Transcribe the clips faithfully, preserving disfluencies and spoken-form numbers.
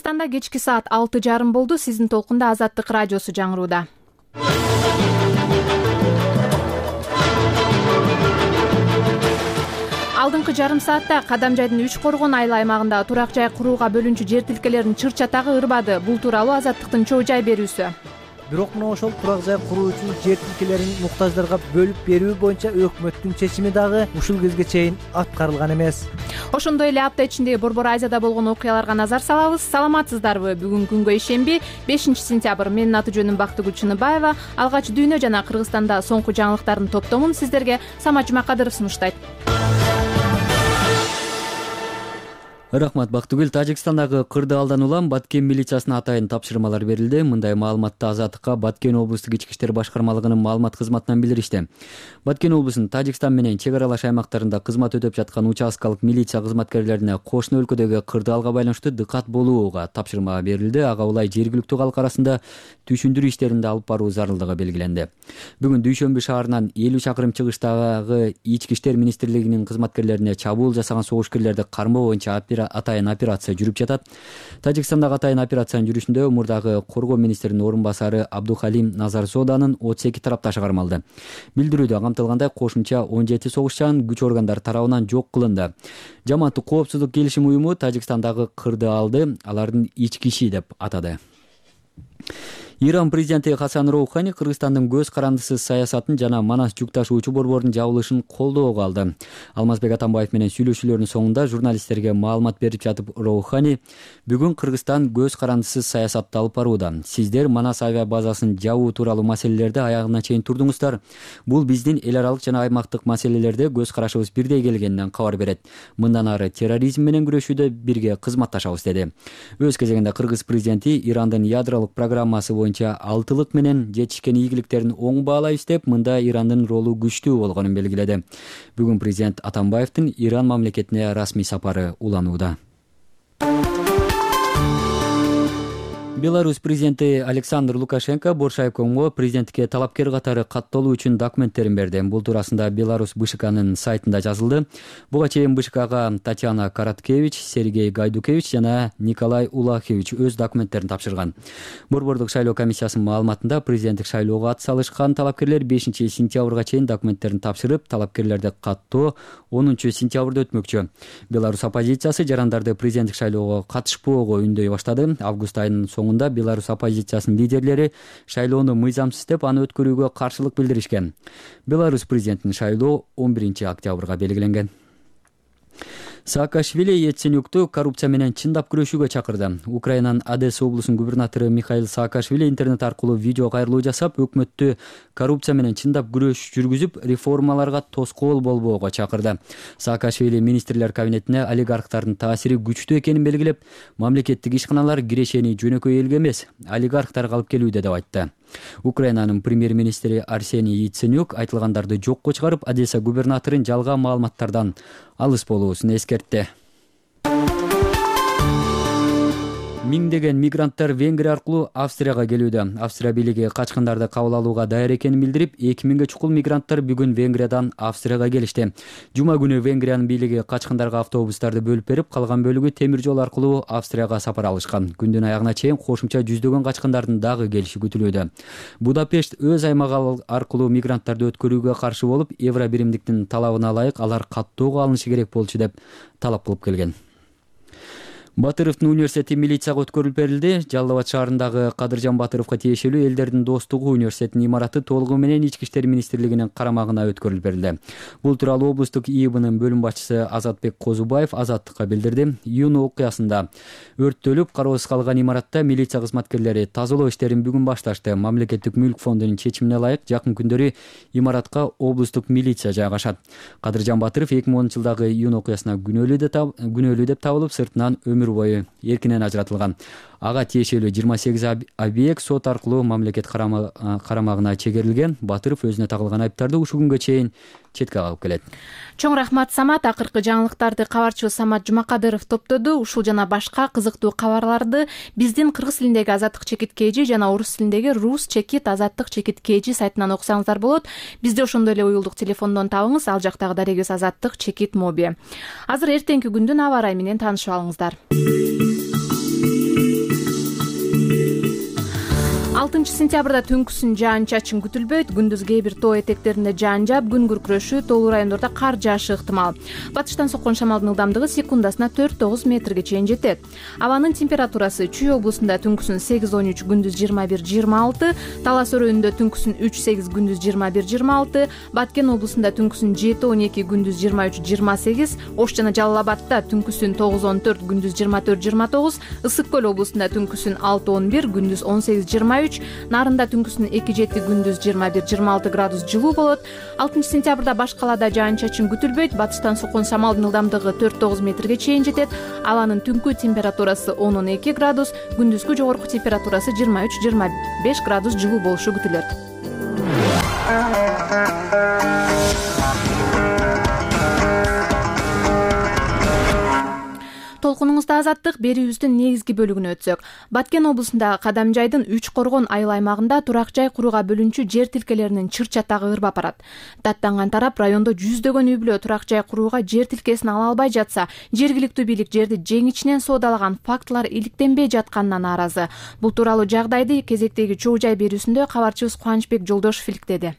Кыргызстанда кечки саат алты жарым болду. Сиздин толкунда Азаттык радиосу жаңырууда. Алдыңкы жарым саатта Кадамжайдын үч коргон айыл аймагында турак жай курууга бөлүнчү жер тилкелеринин чыр чатагы ырбады. Бул тууралуу Азаттыктын чоо жай берүүсү. Бирок мына ошол турак жай куруу үчүн жер тилкелерин муктаждарга бөлүп берүү боюнча өкмөттүн чечими дагы ушул кезге чейин аткарылган эмес. Ошондой эле апта ичинде Борбор Азияда болгон окуяларга назар салабыз. Саламатсыздарбы? Бүгүн күнгө ишемби, бешинчи сентябрь. Менин аты жөнүм Бактыгүл Чыныбаева. Алгач дүйнө жана Кыргызстанда соңку жаңылыктардын топтомун сиздерге Самат Жумакадыров сунуштайт. Рахмат Бактыгүл. Тажикстандагы кырды алдан улам Баткен милициясына атайын тапшырмалар берилди. Мындай маалыматты Азаттыкка Баткен облустук ички иштер башкармалыгынын маалымат кызматынан билдиришти. Баткен облусунун Тажикстан менен чек аралаш аймактарында кызмат өтөп жаткан участкалык милиция кызматкерлерине кошуна өлкөдөгү кырды алга байланыштуу дыкат болууга тапшырма берилди. Ага улай жергиликтүү калк арасында түшүндүрүү иштерин да алып баруу зарылдыгы белгиленди. Бүгүн Дүйшөмбү шаарынан элүү чакырым чыгыштагы ички иштер министрлигинин кызматкерлерине чабуул жасаган согушкерлерди кармоо боюнча атайын операция жүрүп жатат. Тажикстандагы атайын операциянын жүрүшүндө мурдагы коргоо министринин орун басары Абдухалим Назарзоданын отуз эки тарапташы кармалды. Билдирүүдө камтылгандай кошумча он жети согушчан күч органдары тарабынан жок кылынды. Жамааттык коопсуздук келишим уюму Тажикстандагы кырды алды алардын ички иши деп атады. Иран президенти Хасан Роухани Кыргызстандын көз карандысыз саясатын жана Манас жүк ташуучу борбордун жабылышын колдоого алды. Алмазбек Атамбаев менен сүйлөшүүлөрдүн соңунда журналисттерге маалымат берип жатып Роухани бүгүн Кыргызстан көз карандысыз саясатты алып барууда. Сиздер Манас авиа базасын жабуу тууралуу маселелерди аягына чейин турдуңуздар. Бул биздин эл аралык жана аймактык маселелерде көз карашыбыз бирдей келгенинен кабар берет. Мындан ары терроризм менен күрөшүүдө бирге кызматташабыз деди. Өз кезегинде Кыргыз президенти Ирандын ядролук программасы боюнча алтылык менен жетишкен ийгиликтерин оң баалайбыз деп, мында Ирандын ролу күчтүү болгонун белгиледи. Бүгүн президент Атамбаевдин Иран мамлекетине расмий сапары уланууда. Беларусь президенти Александр Лукашенко Боршаевкомго президенттикке талапкер катары катталуу үчүн документтерин берди. Бул туурасында Беларусь БШКнын сайтында жазылды. Буга чейин БШКга Татьяна Караткевич, Сергей Гайдукевич жана Николай Улахевич өз документтерин тапшырган. Борбордук шайлоо комиссиясынын маалыматында президенттик шайлоого ат салышкан талапкерлер бешинчи сентябрга чейин документтерин тапшырып, талапкерлерди каттоо онунчу сентябрда өтмөкчү. Беларусь оппозициясы жарандарды президенттик шайлоого катышпоого үндөй баштады. Август айынын соңунда Беларусь оппозициясынын лидерлери шайлоону мыйзамсыз деп аны өткөрүүгө каршылык билдиришкен. Беларусь президентинин шайлоо он биринчи октябрга белгиленген. Саакашвили Яценюкту коррупция менен чындап күрөшүүгө чакырды. Украинанын Одесса облусунун губернатору Михаил Саакашвили интернет аркылуу видео кайрылуу жасап, өкмөттү коррупция менен чындап күрөш жүргүзүп, реформаларга тоскоол болбоого чакырды. Саакашвили министрлер кабинетине олигархтардын таасири күчтүү экенин белгилеп, мамлекеттик ишканалар кирешени жөнөкөй элге эмес, олигархтарга алып келүүдө деп айтты. Украинанын премьер-министри Арсений Яценюк айтылгандарды жокко чыгарып, Одесса губернаторун жалган маалыматтардан алыс болуусун эскертти. Миңдеген мигранттар Венгрия аркылуу Австрияга келүүдө. Австрия бийлиги качкындарды кабыл алууга даяр экенин билдирип, эки миңге чукул мигранттар бүгүн Венгриядан Австрияга келишти. Жума күнү Венгриянын бийлиги качкындарга автобустарды бөлүп берип, калган бөлүгү темир жол аркылуу Австрияга сапар алышкан. Күндүн аягына чейин кошумча жүздөгөн качкындардын дагы келиши күтүлүүдө. Будапешт өз аймагы аркылуу мигранттарды өткөрүүгө каршы болуп, евро биримдиктин талабына ылайык алар каттоого алынышы керек болчу деп талап кылып келген. Батыровдун университети милицияга өткөрүлүп берилди. Жалал Абад шаарындагы Кадыржан Батыровго тиешелүү Элдердин достугу университетинин имараты толугу менен ички иштер министрлигинин карамагына өткөрүлүп берилди. Бул тууралуу облустук ИИБнын бөлүм башчысы Азатбек Козубаев Азаттыкка билдирди. Июнь окуясында өрттөлүп кароосуз калган имаратта милиция кызматкерлери тазалоо иштерин бүгүн башташты. Мамлекеттик мүлк фондунун чечимине ылайык жакын күндөрү имаратка облустук милиция жайгашат. Кадыржан Батыров эки миң онунчу жылдагы июнь окуясына күнөөлүү деп табылып, сыртынан өмүр бою эркинен ажыратылган. Ага тиешелүү жыйырма сегиз объект сот аркылуу мамлекет карамагына чегерилген. Батыров өзүнө тагылган айыптарды ушул күнгө чейин четке кагып келет. Чоң рахмат Самат. Акыркы жаңылыктарды кабарчыбыз Самат Жумакадыров топтоду. Ушул жана башка кызыктуу кабарларды биздин кыргыз тилиндеги Азаттык чекит kg жана орус тилиндеги Rus чекит Азаттык чекит kg сайтынан окусаңыздар болот. Бизди ошондой эле уюлдук телефондон табыңыз. Ал жактагы дарегибиз Азаттык чекит моби. Азыр эртеңки күндүн аба ырайы менен таанышып алыңыздар. алтынчы сентябрда түнкүсүн жаан-чачын күтүлбөйт. Күндүз кээ бир тоо этектеринде жаан жаап, күн күркүрөшүү, тоолуу райондордо кар жаашы ыктымал. Батыштан соккон шамалдын ылдамдыгы секундасына төрт тогуз метрге чейин жетет. Абанын температурасы Чүй облусунда түнкүсүн сегиз он үч, күндүз жыйырма бир жыйырма алты, Талас өрөөнүндө түнкүсүн үч сегиз, күндүз жыйырма бир жыйырма алты, Баткен облусунда түнкүсүн жети он эки, күндүз жыйырма үч жыйырма сегиз, Ош жана Жалал Абадта түнкүсүн тогуз он төрт, күндүз жыйырма төрт жыйырма тогуз, Ысык көл облусунда түнкүсүн алты он бир, күндүз он сегиз жыйырма үч, Нарында түнкүсүн эки жети, күндүз жыйырма бир жыйырма алты градус жылуу болот. алтынчы сентябрда баш калаада жаан-чачын күтүлбөйт. Батыштан соккон шамалдын ылдамдыгы төрт тогуз метрге чейин жетет. Абанын түнкү температурасы он он эки градус, күндүзгү жогорку температурасы жыйырма үч жыйырма беш градус жылуу болушу күтүлөт. Толкунуңузда азаттык берүүбүздүн негизги бөлүгүнө өтсөк. Баткен облусундагы Кадамжайдын үч коргон айыл аймагында турак жай курууга бөлүнчү жер тилкелеринин чыр чатагы ырбап барат. Даттанган тарап райондо жүздөгөн үй бүлө турак жай курууга жер тилкесин ала албай жатса, жергиликтүү бийлик жерди жеңичинен соодалаган фактылар иликтенбей жатканына нааразы. Бул тууралуу жагдайды кезектеги чоо жай берүүсүндө кабарчыбыз Кубанычбек Жолдошов иликтеди.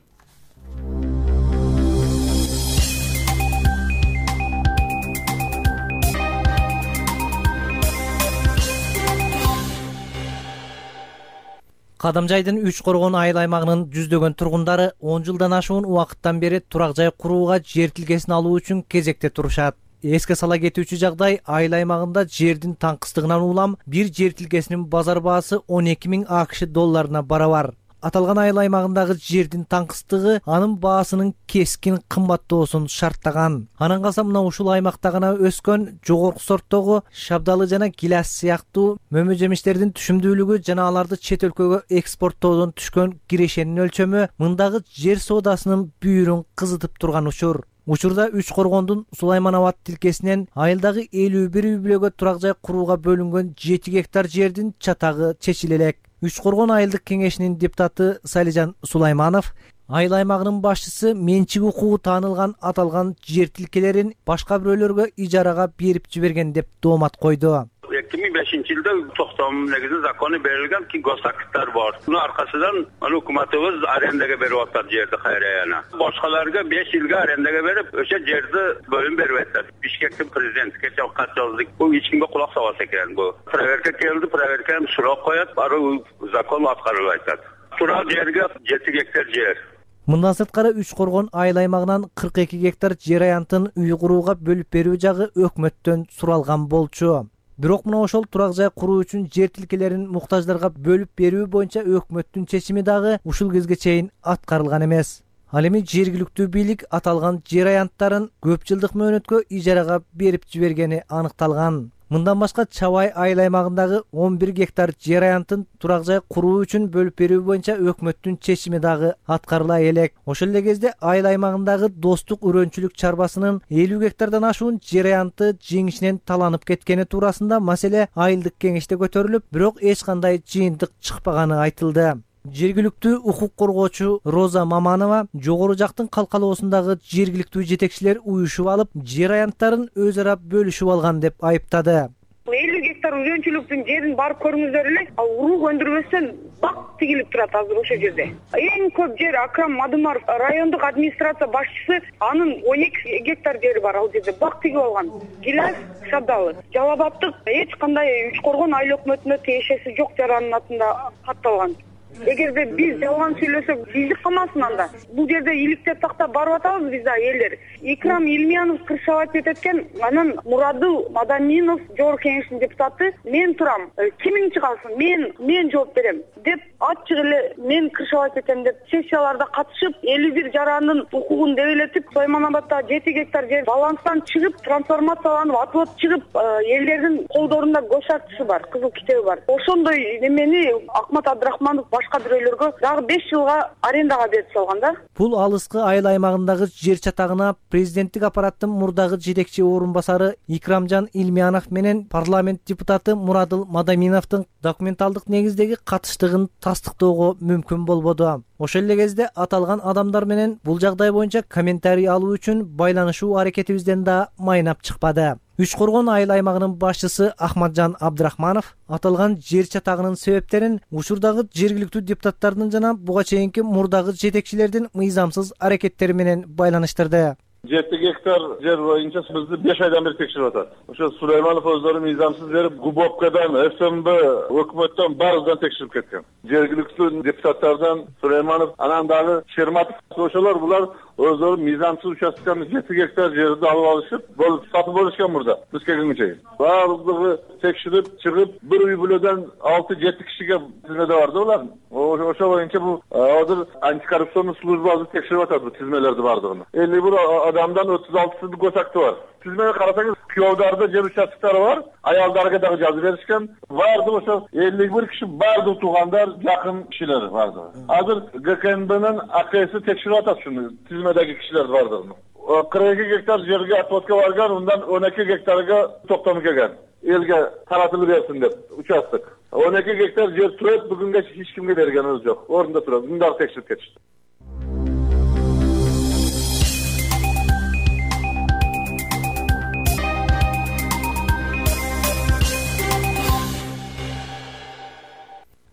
Кадамжайдын үч коргон айыл аймагынын жүздөгөн тургундары он жылдан ашуун убакыттан бери турак жай курууга жер тилкесин алуу үчүн кезекте турушат. Эске сала кетүүчү жагдай, айыл аймагында жердин таңкыстыгынан улам бир жер тилкесинин базар баасы он эки миң АКШ долларына барабар. Аталган айыл аймагындагы жердин таңкыстыгы анын баасынын кескин кымбаттоосун шарттаган. Анан калса мына ушул аймакта гана өскөн жогорку сорттогу шабдалы жана гиляс сыяктуу мөмө жемиштердин түшүмдүүлүгү жана аларды чет өлкөгө экспорттоодон түшкөн кирешенин өлчөмү мындагы жер соодасынын бүйүрүн кызытып турган учур. Учурда үч коргондун Сулайман Абад тилкесинен айылдагы элүү бир үй бүлөгө турак жай курууга бөлүнгөн жети гектар жердин чатагы чечиле элек. Үч коргон айылдык кеңешинин депутаты Салижан Сулайманов айыл аймагынын башчысы менчик укугу таанылган аталган жер тилкелерин башка бирөөлөргө ижарага берип жиберген деп доомат койду. эки миң бешинчи жылда токтом негизи закону берилген ки госактар бар. Мунун аркасынан өкмөтүбүз арендага берип атат жерди кайра. Башкаларга беш жылга арендага берип, ошо жерди бөлүм берип атат. Бишкектин президенти кече кат жазды. Бул эч кимге кулак салбас экен. Бул проверка келди, проверканы сурап коет, ары закон аткарылып атат. Турак жерге жети гектар жер. Мындан сырткары үч коргон айыл аймагынан кырк эки гектар жер аянтын үй курууга бөлүп берүү жагы өкмөттөн суралган болчу. Бирок мына ошол турак жай куруу үчүн жер тилкелерин муктаждарга бөлүп берүү боюнча өкмөттүн чечими дагы ушул кезге чейин аткарылган эмес. Ал эми жергиликтүү бийлик аталган жер аянттарын көп жылдык мөөнөткө ижарага берип жибергени аныкталган. Мындан башка Чабай айыл аймагындагы он бир гектар жер аянтын турак жай куруу үчүн бөлүп берүү боюнча өкмөттүн чечими дагы аткарыла элек. Ошол эле кезде айыл аймагындагы Достук үрөнчүлүк чарбасынын элүү гектардан ашуун жер аянты жеңишинен таланып кеткени туурасында маселе айылдык кеңеште көтөрүлүп, бирок эч кандай жыйынтык чыкпаганы айтылды. Жергиликтүү укук коргоочу Роза Маманова жогору жактын калкалоосундагы жергиликтүү жетекчилер уюшуп алып, жер аянттарын өз ара бөлүшүп алган деп айыптады. элүү гектар үрөнчүлүктүн жерин барып көрүңүздөр эле. Ал урук өндүрбөстөн бак тигилип турат азыр ошол жерде. Эң көп жер Акрам Мадымаров райондук администрация башчысы, анын он эки гектар жери бар ал жерде бак тигип алган. Гиляс Шабдалы Жалал Абадтык эч кандай үч коргон айыл өкмөтүнө тиешеси жок жаранын атында катталган. Эгерде биз жалган сүйлөсөк, биздик калмасын анда. Бул жерде иликтеп тактап барып атабыз биз да элдер. Икрам Илмиянов кыршават эткен, анан Мурадыл Мадаминов жогорку кеңештин депутаты, мен турам, кимиң чыгалсын, мен мен жооп берем деп ачык эле мен кыршават этем деп сессияларда катышып, элүү бир жарандын укугун дебелетип, Сулайман Абадта жети гектар жер баланстан чыгып, трансформацияланып, атылып чыгып, элдердин колдорунда госактысы бар, кызыл китеби бар. Ошондой немени Акмат Абдрахманов башка бирөөлөргө дагы беш жылга арендага берип салган да. Бул алыскы айыл аймагындагы жер чатагына президенттик аппараттын мурдагы жетекчи орун басары Икрамжан Илмиянов менен парламент депутаты Мурадыл Мадаминовдун документалдык негиздеги катыштыгын тастыктоого мүмкүн болбоду. Ошол эле кезде аталган адамдар менен бул жагдай боюнча комментарий алуу үчүн байланышуу аракетибизден да майнап чыкпады. Үч Коргон айыл аймагынын башчысы Ахматжан Абдрахманов аталган жер чатагынын себептерин учурдагы жергиликтүү депутаттардын жана буга чейинки мурдагы жетекчилердин мыйзамсыз аракеттери менен байланыштырды. жети гектар жер боюнча бизди беш айдан бери текшерип атат. Ошо Сулайманов өздөрү мыйзамсыз берип, Губовкадан, ФМБ, өкмөттөн баарынан текшерип кеткен. Жергиликтүү депутаттардан Сулайманов, анан дагы Шерматов, ошолор булар өздөрү мыйзамсыз участканы жети гектар жерди алып алышып, бул сатып алышкан мурда. Биз келгенге чейин. Баардыгы текшерип чыгып, бир үй бүлөдөн алты жети кишиге тизмеде барды булар. Ошо боюнча бул азыр антикоррупционный служба текшерип атат бул тизмелерди баардыгын. элүү бир адамдан отуз алтысы госакты бар. Тизмеге карасаңыз, күйөөдөрдө жер участкалары бар, аялдарга дагы жазып беришкен. Баардыгы ошо элүү бир киши, баардыгы туугандар, жакын кишилер баардыгы. Азыр ГКНБнын АКСи текшерип атат шуну, тизмедеги кишилер баардыгын. кырк эки гектар жерге отводко барган, ундан он эки гектарга токтом келген. Элге таратылып берсин деп участок. он эки гектар жер турат, бүгүнгө эч кимге бергенибиз жок. Орунда турат. Мында текшерип кетишти.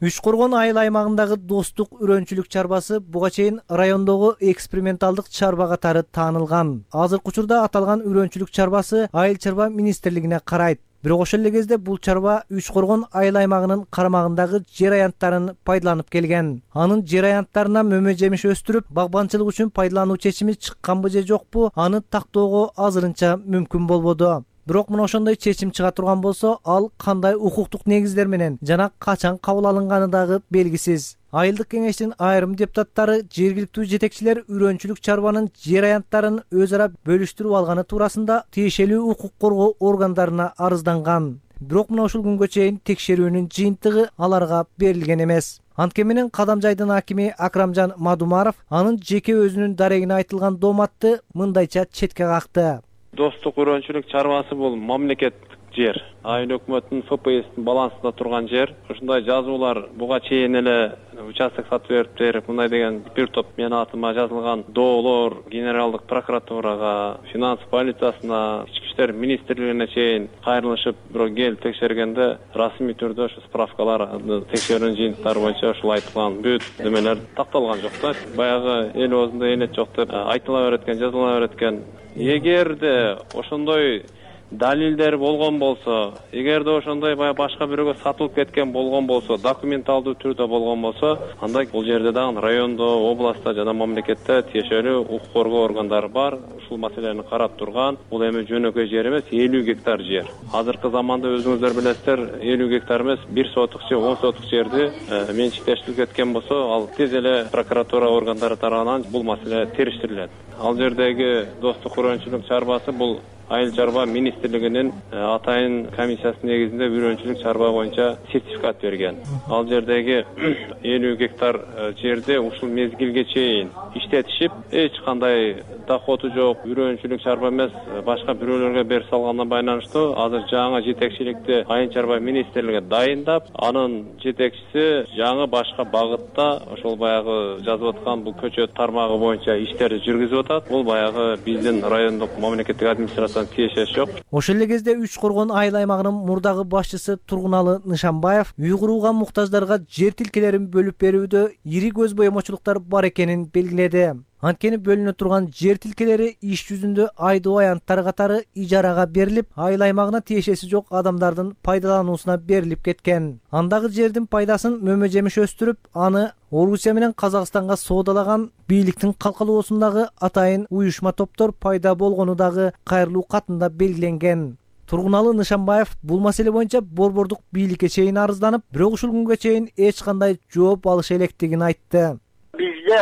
Үч Коргон айыл аймагындагы достук үрөнчүлүк чарбасы буга чейин райондогу эксперименталдык чарба катары таанылган. Азыркы учурда аталган үрөнчүлүк чарбасы айыл чарба министрлигине карайт. Бирок ошол эле кезде бул чарба Үч Коргон айыл аймагынын карамагындагы жер аянттарын пайдаланып келген. Анын жер аянттарына мөмө жемиш өстүрүп, багбанчылык үчүн пайдалануу чечими чыкканбы же жокпу, аны тактоого азырынча мүмкүн болбоду. Бирок мына ошондой чечим чыга турган болсо, ал кандай укуктук негиздер менен жана качан кабыл алынганы дагы белгисиз. Айылдык кеңештин айрым депутаттары жергиликтүү жетекчилер үрөнчүлүк чарбанын жер аянттарын өз ара бөлүштүрүп алганы туурасында тиешелүү укук коргоо органдарына арызданган. Бирок мына ушул күнгө чейин текшерүүнүн жыйынтыгы аларга берилген эмес. Анткени менен Кадамжайдын акими Акрамжан Мадумаров анын жеке өзүнүн дарегине айтылган дооматты мындайча четке какты. Достук үрөнчүлүк чарбасы бул мамлекеттик жер. Айыл өкмөттүн ФПСтин балансында турган жер. Ушундай жазуулар буга чейин эле участок сатып берип берип, мындай деген бир топ менин атыма жазылган доолор Генералдык прокуратурага, финанс полициясына, ички иштер министрлигине чейин кайрылышып, бирок келип текшергенде расмий түрдө ошо справкалар, текшерүүнүн жыйынтыктары боюнча ушул айтылган бүт немелер такталган жок да. Баягы эл оозунда элет жок деп айтыла берет экен, жазыла берет экен. Эгерде ошондой далилдер болгон болсо, эгерде ошондой баягы башка бирөөгө сатылып кеткен болгон болсо, документалдуу түрдө болгон болсо, анда бул жерде дагы райондо, областта жана мамлекетте тиешелүү укук коргоо органдары бар. Ушул маселени карап турган. Бул эми жөнөкөй жер эмес, элүү гектар жер. Азыркы заманда өзүңүздөр билесиздер, элүү гектар эмес, бир сотук же он сотук жерди менчиктештирип кеткен болсо, ал тез эле прокуратура органдары тарабынан бул маселе териштирилет. Ал жердеги достук үрөнчүлүк чарбасы бул айыл чарба министрлигинин атайын комиссиясынын негизинде үрөнчүлүк чарба боюнча сертификат берген. Ал жердеги элүү гектар жерде ушул мезгилге чейин иштетишип, эч кандай доходу жок, үрөнчүлүк чарба эмес, башка бирөөлөргө берип салганына байланыштуу азыр жаңы жетекчиликти айыл чарба министрлиги дайындап, анын жетекчиси жаңы башка багытта ошол баягы жазып аткан бул көчөт тармагы боюнча иштерди жүргүзүп атат. Бул баягы биздин райондук мамлекеттик администрация тиешеси жок. Ошол эле кезде Үч Коргон айыл аймагынын мурдагы башчысы Тургуналы Нышанбаев үй курууга муктаждарга жер тилкелерин бөлүп берүүдө ири көз боемочулуктар бар экенин белгиледи. Анткени бөлүнө турган жер тилкелери иш жүзүндө айдоо аянттар катары ижарага берилип, айыл аймагына тиешеси жок адамдардын пайдалануусуна берилип кеткен. Андагы жердин пайдасын мөмө жемиш өстүрүп, аны Орусия менен Казакстанга соодалаган бийликтин калкалоосундагы атайын уюшма топтор пайда болгону дагы кайрылуу катында белгиленген. Тургуналы Нышанбаев бул маселе боюнча борбордук бийликке чейин арызданып, бирок ушул күнгө чейин эч кандай жооп алыша электигин айтты. Бизде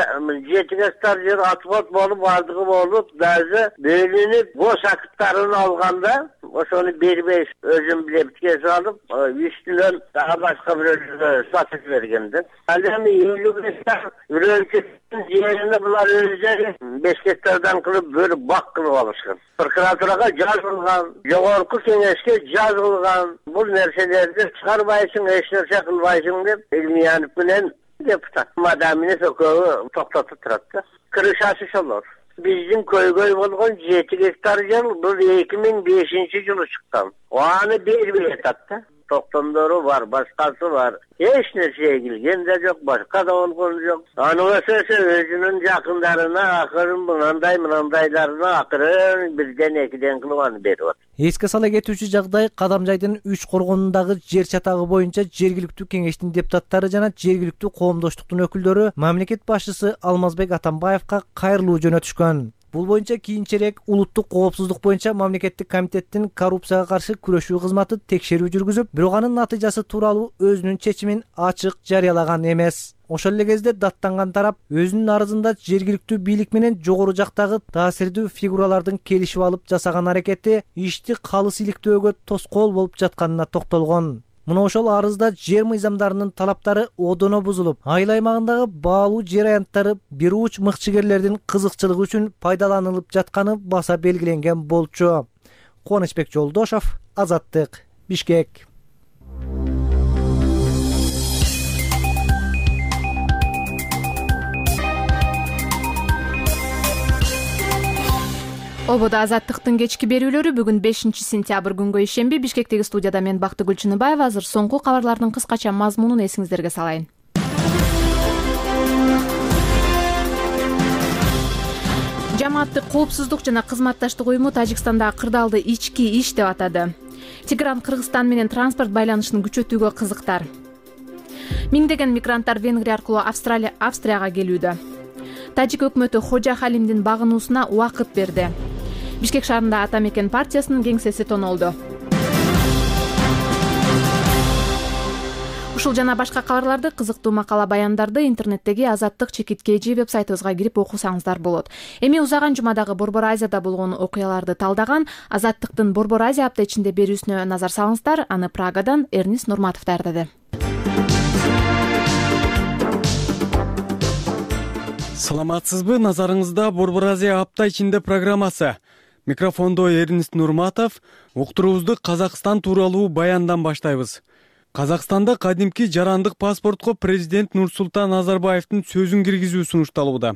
жети гектар жер отвод болуп, бардыгы болуп, даже бөлүнүп, бош акыттарын алганда, ошону бербей өзүм билеп кесип алып, үстүнөн дагы башка бирөөлөргө сатып бергенди. Ал эми элүү гектар үрөнчүлүктүн жерине булар өздөрү беш гектардан кылып бөлүп бак кылып алышкан. Прокуратурага жазылган, жогорку кеңешке жазылган, бул нерселерди чыгарбайсың, эч нерсе кылбайсың деп Элмиянов менен Депутат мадаминес экөө токтотуп турат да. Крышасы шолор. Биздин көйгөй болгон жети гектар жер бул эки миң бешинчи жылы чыккан. Аны бербей атат да. Токтомдору бар, башкасы бар. Эч нерсе эгилген да жок, башка да болгон жок. Аны эсесе өзүнүн жакындарына акырын мындай мындайларына акырын бирден экиден кылып аны берип атат. Эске сала кетүүчү жагдай Кадамжайдын үч коргонундагы жер чатагы боюнча жергиликтүү кеңештин депутаттары жана жергиликтүү коомдоштуктун өкүлдөрү мамлекет башчысы Алмазбек Атамбаевка кайрылуу жөнөтүшкөн. Бул боюнча кийинчерээк улуттук коопсуздук боюнча мамлекеттик комитеттин коррупцияга каршы күрөшүү кызматы текшерүү жүргүзүп, бирок анын натыйжасы тууралуу өзүнүн чечимин ачык жарыялаган эмес. Ошол эле кезде даттанган тарап өзүнүн арызында жергиликтүү бийлик менен жогору жактагы таасирдүү фигуралардын келишип алып жасаган аракети ишти калыс иликтөөгө тоскоол болуп жатканына токтолгон. Мына ошол арызда жер мыйзамдарынын талаптары одоно бузулуп, айыл аймагындагы баалуу жер аянттары бир уч мыкчыгерлердин кызыкчылыгы үчүн пайдаланылып жатканы баса белгиленген болчу. Кубанычбек Жолдошов, Азаттык, Бишкек. Ободо Азаттыктын кечки берүүлөрү бүгүн бешинчи сентябрь күнгө ишемби Бишкектеги студияда мен Бактыгүл Чыныбаева. Азыр соңку кабарлардын кыскача мазмунун эсиңиздерге салайын. Жамааттык коопсуздук жана кызматташтык уюму Тажикстандагы кырдаалды ички иш деп атады. Тигран Кыргызстан менен транспорт байланышын күчөтүүгө кызыктар. Миңдеген мигранттар Венгрия аркылуу Австралия Австрияга келүүдө. Тажик өкмөтү Хожа Халимдин багынуусуна убакыт берди. Бишкек шаарында Ата Мекен партиясынын кеңсеси тонолду. Ушул жана башка кабарларды, кызыктуу макала баяндарды интернеттеги Азаттык чекит кей жи вебсайтыбызга кирип окусаңыздар болот. Эми узаган жумадагы Борбор Азияда болгон окуяларды талдаган Азаттыктын Борбор Азия апта ичинде берүүсүнө назар салыңыздар. Аны Прагадан Эрнис Нурматов даярдады. Саламатсызбы, назарыңызда Борбор Азия апта ичинде программасы. Микрофондо Эрнис Нурматов. Уктуруубузду Казакстан тууралуу баяндан баштайбыз. Казакстанда кадимки жарандык паспортко президент Нурсултан Назарбаевдин сөзүн киргизүү сунушталууда.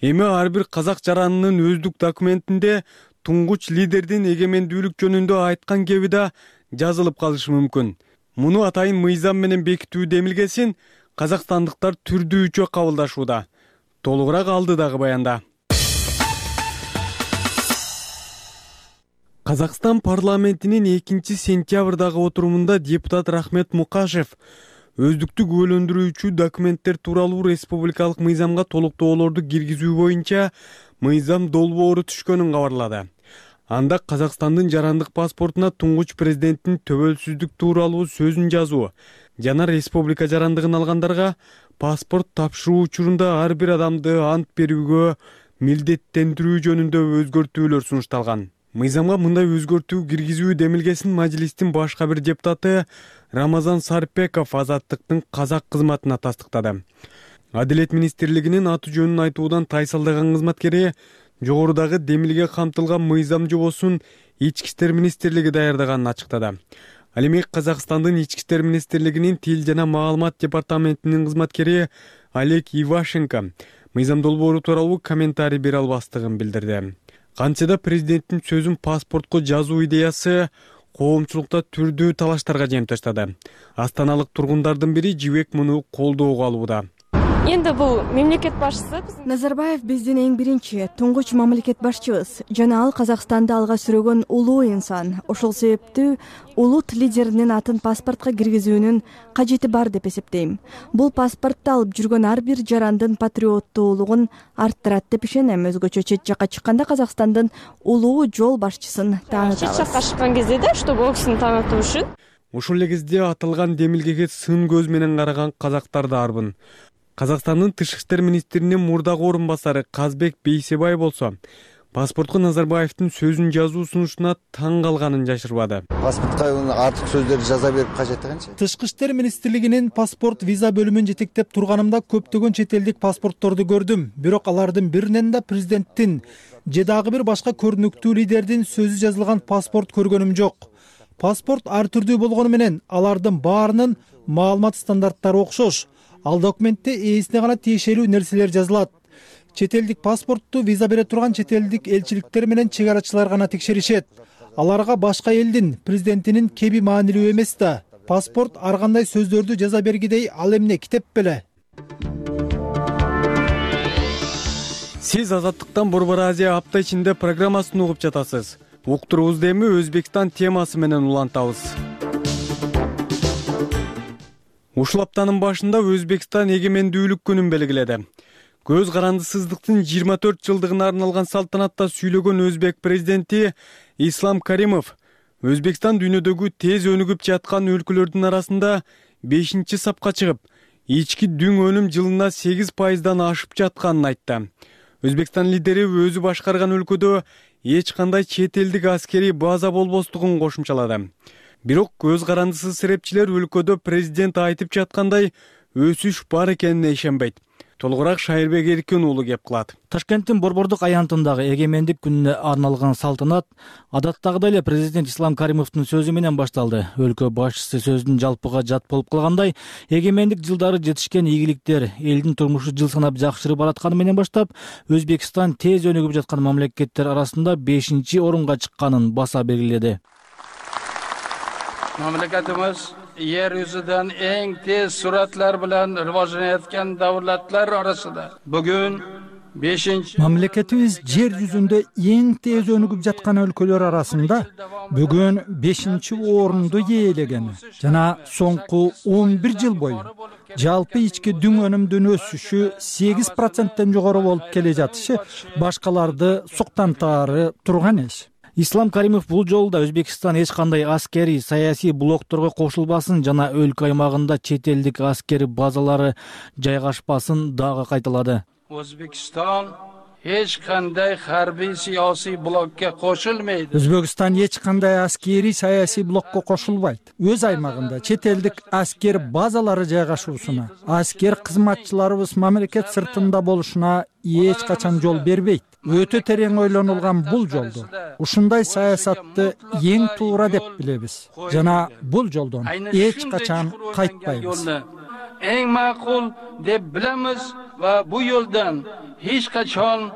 Эми ар бир казак жаранынын өздүк документинде туңгуч лидердин эгемендүүлүк жөнүндө айткан кеби да жазылып калышы мүмкүн. Муну атайын мыйзам менен бекитүү демилгесин казакстандыктар түрдүүчө кабылдашууда. Толугураак алдыдагы баянда. Казакстан парламентинин экинчи сентябрдагы отурумунда депутат Рахмет Мукашев өздүктүк өлөндүрүүчү документтер тууралуу республикалык мыйзамга толуктоолорду киргизүү боюнча мыйзам долбоору түшкөнүн кабарлады. Анда Казакстандын жарандык паспортуна туңгуч президенттин төбөлсүздүк тууралуу сөзүн жазуу жана республика жарандыгын алгандарга паспорт тапшыруу учурунда ар бир адамды ант берүүгө милдеттендирүү жөнүндө өзгөртүүлөр сунушталган. Мыйзамга мындай өзгөртүү киргизүү демилгесин мажилистин башка бир депутаты Рамазан Сарпеков Азаттыктын казак кызматына тастыктады. Адилет министрлигинин аты жөнүн айтуудан тайсалдаган кызматкери жогорудагы демилге камтылган мыйзам жобосун Ички иштер министрлиги даярдаганын ачыктады. Ал эми Казакстандын Ички иштер министрлигинин тил жана маалымат департаментинин кызматкери Олег Ивашенко мыйзам долбоору тууралуу комментарий бере албастыгын билдирди. Кантсе президенттин сөзүн паспортко жазуу идеясы коомчулукта түрдүү талаштарга жем таштады. Астаналык тургундардын бири Жибек муну колдоого алууда. Энди бул мамлекет башчысы Назарбаев биздин эң биринчи туңгуч мамлекет башчыбыз жана ал Казакстанды алга сүрөгөн улуу инсан. Ошол себептүү улут лидеринин атын паспортко киргизүүнүн кажети бар деп эсептейм. Бул паспортто алып жүргөн ар бир жарандын патриоттуулугун арттырат деп ишенем. Өзгөчө чет жакка чыкканда Казакстандын улуу жол башчысын таанытабыз. Чет жакка чыккан кезде да, что бул кишини таанытуу үчүн. Ошол эле кезде аталган демилгеге сын көз менен караган казактар да арбын. Казакстандын тышкы иштер министринин мурдагы орун басары Казбек Бейсебай болсо, паспортко Назарбаевдин сөзүн жазуу сунушуна таң калганын жашырбады. Паспортко артык сөздөрдү жаза берип кажеттигенчи? Тышкы иштер министрлигинин паспорт виза бөлүмүн жетектеп турганымда көптөгөн чет элдик паспортторду көрдүм. Бирок алардын биринен да президенттин же дагы бир башка көрүнүктүү лидердин сөзү жазылган паспорт көргөнүм жок. Паспорт ар түрдүү болгону менен алардын баарынын маалымат стандарттары окшош. Ал документте ээсине гана тиешелүү нерселер жазылат. Чет элдик паспортту виза бере турган чет элдик элчиликтер менен чек арачылар гана текшеришет. Аларга башка элдин президентинин кеби маанилүү эмес да. Паспорт ар кандай сөздөрдү жаза бергидей, ал эмне китеп беле. Сиз Азаттыктан Борбор Азия апта ичинде программасын угуп жатасыз. Уктуруубузду эми Өзбекстан темасы менен улантабыз. Ушул аптанын башында Өзбекстан эгемендүүлүк күнүн белгиледи. Көз карандысыздыктын жыйырма төрт жылдыгына арналган салтанатта сүйлөгөн өзбек президенти Ислам Каримов Өзбекстан дүйнөдөгү тез өнүгүп жаткан өлкөлөрдүн арасында бешинчи сапка чыгып, ички дүң өнүм жылына сегиз пайыздан ашып жатканын айтты. Өзбекстан лидери өзү башкарган өлкөдө эч кандай чет элдик аскерий база болбостугун кошумчалады. Бирок көз карандысыз серепчилер өлкөдө президент айтып жаткандай өсүш бар экенине ишенбейт. Толугураак Шайырбек Эркин уулу кеп кылат. Ташкенттин Борбордук аянтындагы эгемендик күнүнө арналган салтанат адаттагыдай эле президент Ислам Каримовдун сөзү менен башталды. Өлкө башчысы сөзүн жалпыга жат болуп калгандай, эгемендик жылдары жетишкен ийгиликтер, элдин турмушу жыл санап жакшырып баратканы менен баштап, Өзбекстан тез өнүгүп жаткан мамлекеттер арасында бешинчи орунга чыкканын баса белгиледи. Mamlakatimiz yer yuzidan eng tez sur'atlar bilan rivojlanayotgan davlatlar orasida. Bugun beshinchi Mamlakatimiz жер жүзүндө эң тез өнүгүп жаткан өлкөлөр арасында бүгүн бешинчи орунду ээлеген. Жана соңку он бир жыл бою жалпы ички дүң өнүмдүн өсүшү сегиз проценттен жогору болуп келе жатышы башкаларды суктантаары турган эш. Ислам Каримов бул жолу да Өзбекстан эч кандай аскерий, саясий блокторго кошулбасын жана өлкө аймагында чет элдик аскери базалары жайгашпасын дагы кайталады. O'zbekiston hech qanday harbiy siyosiy blokka qo'shilmaydi. Өзбекстан эч кандай аскерий, саясий блокко кошулбайт. Өз аймагында чет элдик аскер базалары жайгашуусуна, аскер кызматчыларыбыз мамлекет сыртында болушуна эч качан жол бербейт. Өтө терең ойлонулган бул жолду ушундай саясатты эң туура деп билебиз. Жана бул жолдон эч качан кайтпайбыз. Эң макул деп билебиз ва бу yo'ldan hech qachon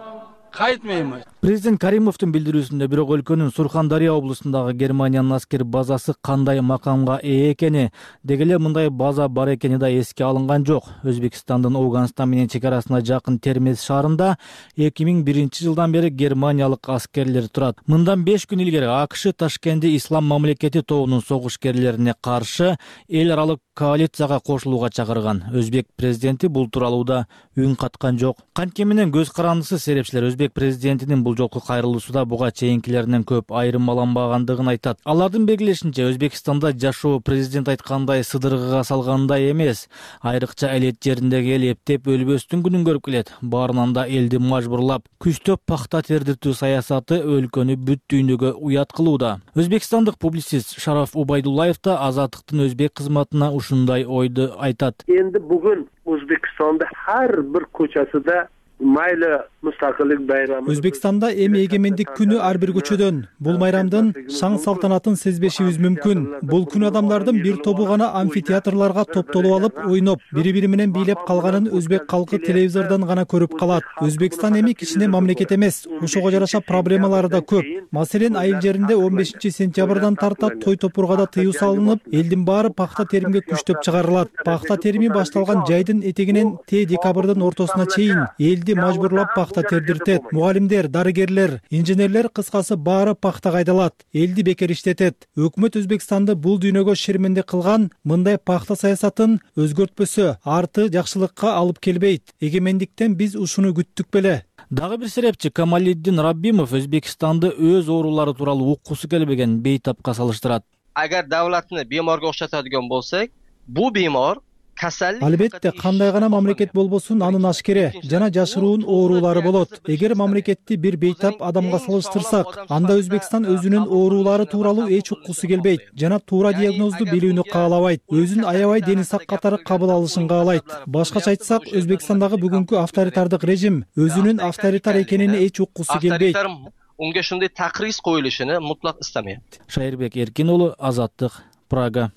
qaytmaymiz. Президент Каримовдун билдирүүсүндө бирок өлкөнүн Сурхандария облусундагы Германиянын аскер базасы кандай макамга ээ экени, деги эле мындай база бар экени да эске алынган жок. Өзбекстандын Ауганстан менен чек арасына жакын Термез шаарында эки миң биринчи жылдан бери германиялык аскерлер турат. Мындан беш күн илгери АКШ Ташкентте Ислам мамлекети тобунун согушкерлерине каршы эл аралык коалицияга кошулууга чакырган. Өзбек президенти бул тууралуу да үн каткан жок. Кантке менен көз карандысыз серепчилер өзбек президентинин бул жолку кайрылуусуда буга чейинкилеринен көп айырмаланбагандыгын айтат. Алардын белгилешинче Өзбекстанда жашоо президент айткандай сыдыргыга салгандай эмес. Айрыкча элет жериндеги эл эптеп өлбөстүн күнүн көрүп келет. Баарынан да элди мажбурлап, күчтөп пахта тердиртүү саясаты өлкөнү бүт дүйнөгө уят кылууда. Өзбекстандык публицист Шараф Убайдуллаев да Азаттыктын өзбек кызматына ушундай ойду айтат. Эndi бүгүн Өзбекстанда ар бир көчөсүдө майла мустакылык байрамы. Өзбекстанда эми эгемендик күнү ар бир көчөдөн. Бул майрамдын шаң салтанатын сезбешибиз мүмкүн. Бул күн адамдардын бир тобу гана амфитеатрларга топтолуп алып, ойноп, бири-бири менен бийлеп калганын өзбек калкы телевизордон гана көрүп калат. Өзбекстан эми кичине мамлекет эмес. Ошого жараша проблемалары да көп. Маселен, айыл жеринде он бешинчи сентябрдан тарта той топургада тыюу салынып, элдин баары пахта теримге күчтөп чыгарылат. Пахта терими башталган жайдын этегинен те декабрдын ортосуна чейин элди мажбурлап пахта тердиртет. Мугалимдер, дарыгерлер, инженерлер кыскасы баары пахтага айдалат. Элди бекер иштетет. Өкмөт Өзбекстанды бул дүйнөгө шерменде кылган мындай пахта саясатын өзгөртпөсө, арты жакшылыкка алып келбейт. Эгемендиктен биз ушуну күттүк беле. Дагы бир серепчи Камалиддин Раббимов Өзбекстанды өз оорулары тууралуу уккусу келбеген бейтапка салыштырат. Агар давлатны беморго окшотодиган болсок, бул бемор Албетте, кандай гана мамлекет болбосун анын ашкере жана жашыруун оорулары болот. Эгер мамлекетти бир бейтап адамга салыштырсак, анда Өзбекстан өзүнүн оорулары тууралуу эч уккусу келбейт жана туура диагнозду билүүнү каалабайт. Өзүн аябай дени сак катары кабыл алышын каалайт. Башкача айтсак, Өзбекстандагы бүгүнкү авторитардык режим өзүнүн авторитар экенине эч уккусу келбейт. Унга ушундай такриз коюлушуну мутлак истемейт. Шайырбек Эркин уулу, Азаттык, Прага.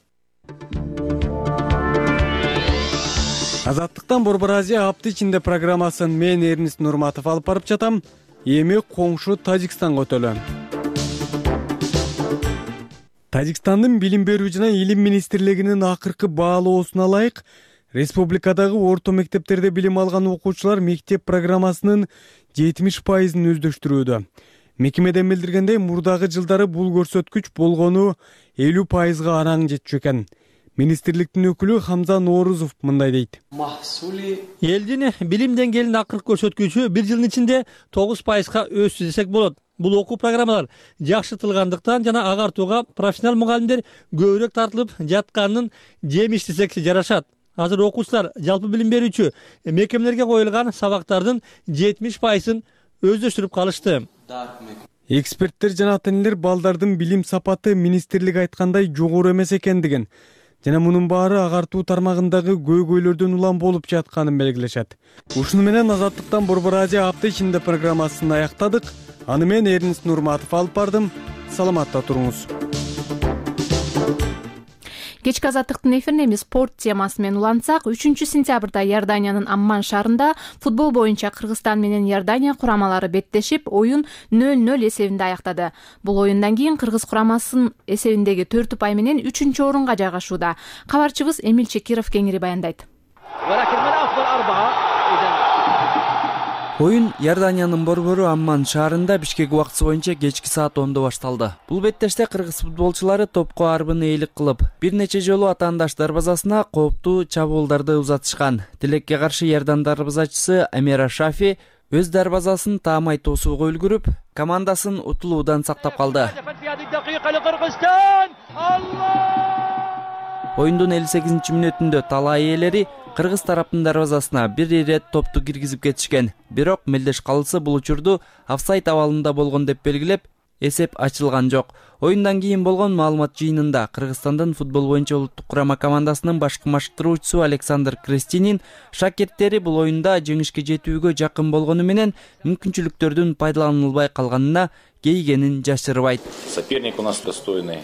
Азаттыктан Борбор Азия апты ичинде программасын мен Эрнист Нурматов алып барып жатам. Эми коңшу Тажикстанга өтөлөм. Тажикстандын билим берүү жана илим министрлигинин акыркы баалоосуна ылайык, республикадагы орто мектептерде билим алган окуучулар мектеп программасынын жетимиш пайызын өздөштүрүүдө. Мекемеден билдиргендей, мурдагы жылдары бул көрсөткүч болгону элүү пайызга араң жетчү экен. Министрликтин өкүлү Хамза Ноорузов мындай дейт. Элдин билим деңгээлинин акыркы көрсөткүчү бир жылдын ичинде тогуз пайызга өссү десек болот. Бул окуу программалар жакшыртылгандыктан жана агартууга профессионал мугалимдер көбүрөөк тартылып жатканын жемиш десек жарашат. Азыр окуучулар жалпы билим берүүчү мекемелерге коюлган сабактардын жетимиш пайызын өздөштүрүп калышты. Эксперттер жана ата-энелер балдардын билим сапаты министрлик айткандай жогору эмес экендигин жана мунун баары агартуу тармагындагы көйгөйлөрдөн улам болуп жатканын белгилешет. Ушуну менен Азаттыктан Борбор Азия апта ичинде программасын аяктадык. Аны мен Эрнист Нурматов алып бардым. Саламатта туруңуз. Кечки Азаттыктын эфирине эми спорт темасы менен улантсак, үчүнчү сентябрда Иорданиянын Амман шаарында футбол боюнча Кыргызстан менен Иордания курамалары беттешип, оюн нөл нөл эсебинде аяктады. Бул оюндан кийин Кыргыз курамасынын эсебиндеги төрт упай менен үчүнчү орунга жайгашууда. Кабарчыбыз Эмил Чекиров кеңири баяндайт. Оюн Иорданиянын борбору Амман шаарында Бишкек убактысы боюнча кечки саат ондо башталды. Бул беттеште кыргыз футболчулары топко арбыны ээлик кылып, бир нече жолу атаандаш дарбазасына кооптуу чабуулдарды узатышкан. Тилекке каршы Иордан дарбазачысы Амера Шафи өз дарбазасын таамай тосууга үлгүрүп, командасын утулуудан сактап калды. Оюндун элүү сегизинчи мүнөтүндө талай ээлери кыргыз тараптын дарбазасына бир ирет топту киргизип кетишкен. Бирок мелдеш калысы бул учурду офсайд абалында болгон деп белгилеп, эсеп ачылган жок. Оюндан кийин болгон маалымат жыйынында Кыргызстандын футбол боюнча улуттук курама командасынын башкы машыктыруучусу Александр Крестинин шакирттери бул оюнда жеңишке жетүүгө жакын болгону менен мүмкүнчүлүктөрдүн пайдаланылбай калганына кейигенин жашырбайт. Соперник у нас достойный.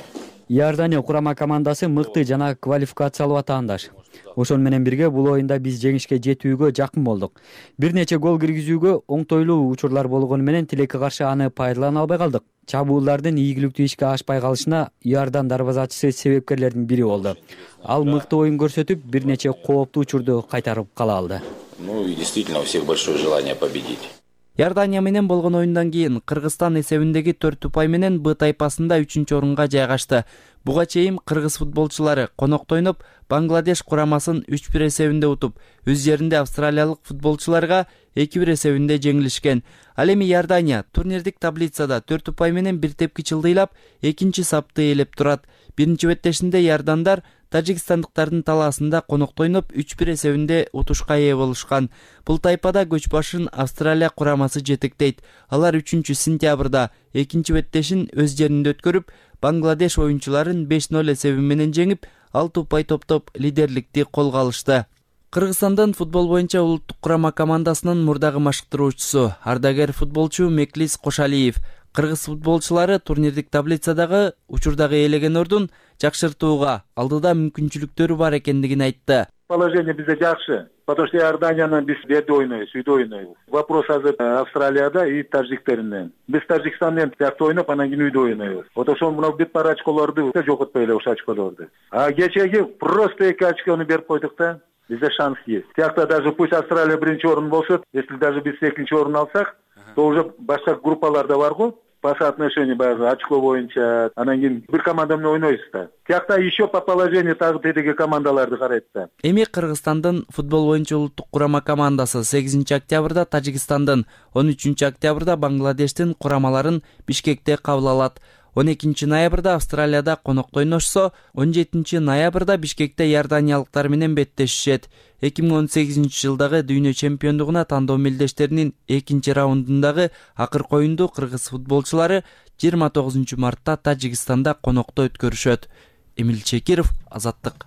Иордания курама командасы мыкты жана квалификациялуу атаандаш. Ошол менен бирге бул оюнда биз жеңишке жетүүгө жакын болдук. Бир нече гол киргизүүгө оңтойлуу учурлар болгону менен тилекке каршы аны пайдалана албай калдык. Чабуулдардын ийгиликтүү ишке ашпай калышына Иордан дарбазачысы себепкерлердин бири болду. Ал мыкты оюн көрсөтүп, бир нече кооптуу учурду кайтарып кала алды. Ну и действительно у всех большое желание победить. Иордания менен болгон оюндан кийин Кыргызстан эсебиндеги төрт упай менен Б тайпасында үчүнчү орунга жайгашты. Буга чейин кыргыз футболчулары конокто ойноп, Бангладеш курамасын үч бир эсебинде утуп, өз жеринде австралиялык футболчуларга эки бир эсебинде жеңилишкен. Ал эми Иордания турнирдик таблицада төрт упай менен бир тепкич ылдыйлап, экинчи сапты ээлеп турат. Биринчи беттешинде иордандар тажикстандыктардын талаасында конокто ойноп үч бир эсебинде утушка ээ болушкан. Бул тайпада көч башын Австралия курамасы жетектейт. Алар үчүнчү сентябрда экинчи беттешин өз жеринде өткөрүп, Бангладеш оюнчуларын беш нөл эсеби менен жеңип, алты упай топтоп лидерликти колго алышты. Кыргызстандын футбол боюнча улуттук курама командасынын мурдагы машыктыруучусу, ардагер футболчу Меклис Кошалиев кыргыз футболчулары турнирдик таблицадагы учурдагы ээлеген ордун жакшыртууга алдыда мүмкүнчүлүктөрү бар экендигин айтты. Положение бизде жакшы, потому что Иорданияны биз жерде ойнойбуз, үйдө ойнойбуз. Вопрос азыр Австралияда и тажиктеринен. Биз Тажикстан менен тиякты ойноп, анан кийин үйдө ойнойбуз. Вот ошол мына бир пара очколорду жоготпой эле ошол очколорду. А кечеги просто эки очкону берип койдук да. Бизде шанс есть. Тиякта даже пусть Австралия биринчи орун болсо, если даже биз экинчи орун алсак, то уже башка группаларда бар го. По соотношению баягы очко боюнча анан кийин бир команда менен ойнойбуз да. Тиякта еще по положению тагы тетиги командаларды карайт да. Эми Кыргызстандын футбол боюнча улуттук курама командасы сегизинчи октябрда Тажикстандын, он үчүнчү октябрда Бангладештин курамаларын Бишкекте кабыл алат. он экинчи ноябрда Австралияда конокто ойношсо, он жетинчи ноябрда Бишкекте иорданиялыктар менен беттешишет. эки миң он сегизинчи жылдагы дүйнө чемпиондугуна тандоо мелдештеринин экинчи раундундагы акыркы оюнду кыргыз футболчулары жыйырма тогузунчу мартта Тажикстанда конокто өткөрүшөт. Эмил Чекиров, Азаттык.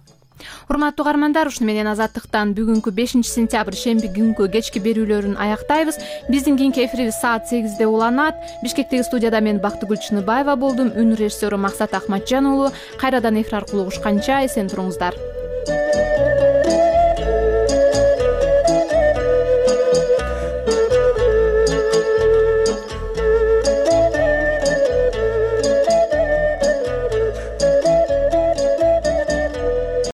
Урматтуу угармандар, ушуну менен Азаттыктан бүгүнкү бешинчи сентябрь шемби күнкү кечки берүүлөрүн аяктайбыз. Биздин кийинки эфирибиз саат сегизде уланат. Бишкектеги студияда мен Бактыгүл Чыныбаева болдум. Үн режиссеру Максат Ахматжан уулу. Кайрадан эфир аркылуу угушканча эсен туруңуздар.